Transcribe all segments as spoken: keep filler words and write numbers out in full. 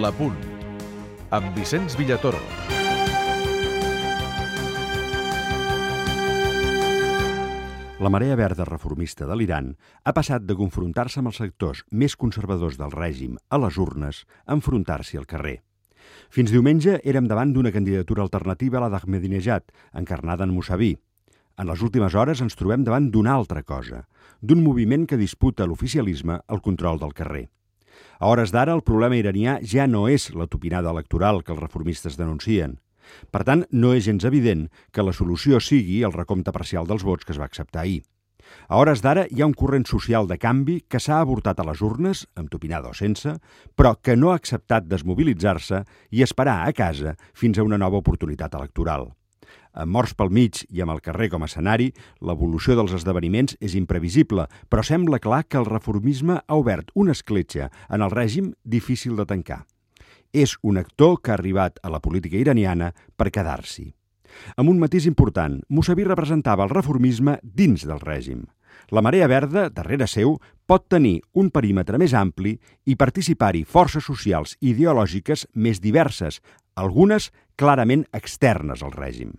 La Punt, amb Vicenç Villatoro. La marea verda reformista de l'Iran ha passat de confrontar-se amb els sectors més conservadors del règim a les urnes a enfrontar-s'hi al carrer. Fins diumenge érem davant d'una candidatura alternativa a la d'Ahmadinejad, encarnada en Mousavi. En les últimes hores ens trobem davant d'una altra cosa, d'un moviment que disputa l'oficialisme el control del carrer. A hores d'ara, el problema iranià ja no és la tupinada electoral que els reformistes denuncien. Per tant, no és gens evident que la solució sigui el recompte parcial dels vots que es va acceptar ahir. A hores d'ara hi ha un corrent social de canvi que s'ha avortat a les urnes, amb tupinada o sense, però que no ha acceptat desmobilitzar-se i esperar a casa fins a una nova oportunitat electoral. Amb morts pel mig i amb el carrer com a escenari, l'evolució dels esdeveniments és imprevisible, però sembla clar que el reformisme ha obert una escletxa en el règim difícil de tancar. És un actor que ha arribat a la política iraniana per quedar-s'hi. Amb un matís important, Mousavi representava el reformisme dins del règim. La marea verda, darrere seu, pot tenir un perímetre més ampli i participar-hi forces socials i ideològiques més diverses, algunes clarament externes al règim.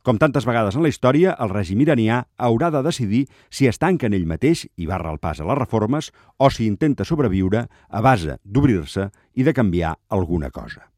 Com tantes vegades en la història, el règim iranià haurà de decidir si es tanca en ell mateix i barra el pas a les reformes o si intenta sobreviure a base d'obrir-se i de canviar alguna cosa.